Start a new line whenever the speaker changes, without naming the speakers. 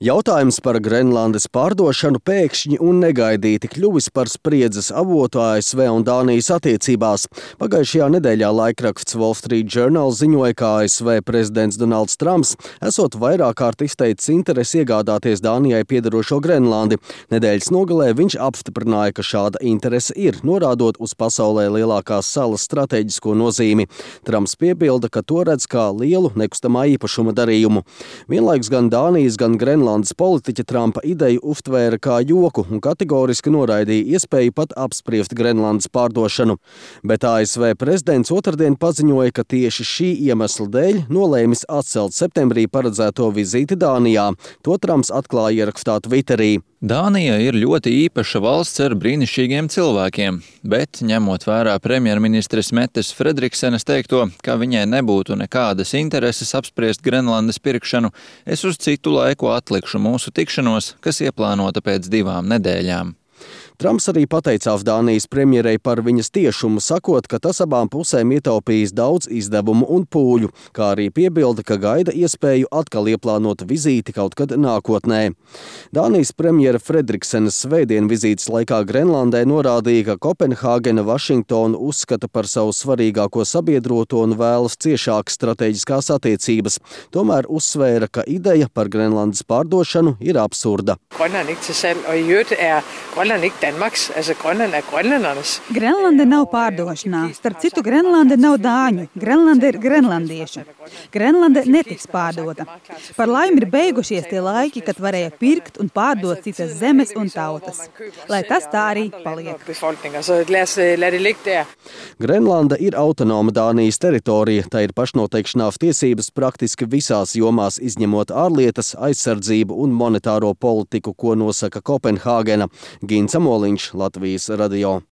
Jautājums par Grenlandes pārdošanu pēkšņi un negaidīti kļuvis par spriedzes avotu ASV un Dānijas attiecībās. Pagājušajā nedēļā laikraksts Wall Street Journal ziņoja, ka ASV prezidents Donalds Trumps esot vairāk kārt izteicis interesi iegādāties Dānijai piederošo Grenlandi. Nedēļas nogalē viņš apstiprināja, ka šāda interese ir, norādot uz pasaulē lielākās salas stratēģisko nozīmi. Trumps piebilda, ka to redz kā lielu nekustamā īpašuma darījumu. Vienlaikus gan Dānijas, gan Grenlandes politiķa Trumpa ideju uztvēra kā joku un kategoriski noraidīja iespēju pat apspriest Grenlandes pārdošanu. Bet ASV prezidents otrdien paziņoja, ka tieši šī iemesla dēļ nolēmis atcelt septembrī paredzēto vizīti Dānijā. To Trumps atklāja ierakstā Twitterī.
Dānija ir ļoti īpaša valsts ar brīnišķīgiem cilvēkiem, bet, ņemot vērā premjerministres Mettes Fredriksenes teikto, ka viņai nebūtu nekādas intereses apspriest Grenlandes pirkšanu, es uz citu laiku atlikšu mūsu tikšanos, kas ieplānota pēc 2 nedēļām.
Trumps arī pateicās Dānijas premjerei par viņas tiešumu, sakot, ka tas abām pusēm ietaupījis daudz izdevumu un pūļu, kā arī piebilda, ka gaida iespēju atkal ieplānot vizīti kaut kad nākotnē. Dānijas premjera Fredriksenes svētdien vizītes laikā Grenlandē norādīja, ka Kopenhāgena Vašingtonu uzskata par savu svarīgāko sabiedroto un vēlas ciešākas strateģiskās attiecības. Tomēr uzsvēra, ka ideja par Grenlandes pārdošanu ir absurda.
Grenlande nav pārdošanā. Starp citu, Grenlande nav dāņu. Grenlande ir grenlandiešu. Grenlande netiks pārdota. Par laimi ir beigušies tie laiki, kad varēja pirkt un pārdot citas zemes un tautas. Lai tas tā arī paliek.
Grenlanda ir autonoma Dānijas teritorija. Tā ir pašnoteikšanās tiesības praktiski visās jomās, izņemot ārlietas, aizsardzību un monetāro politiku, ko nosaka Kopenhāgena. Gins Amoliņš, Latvijas radio.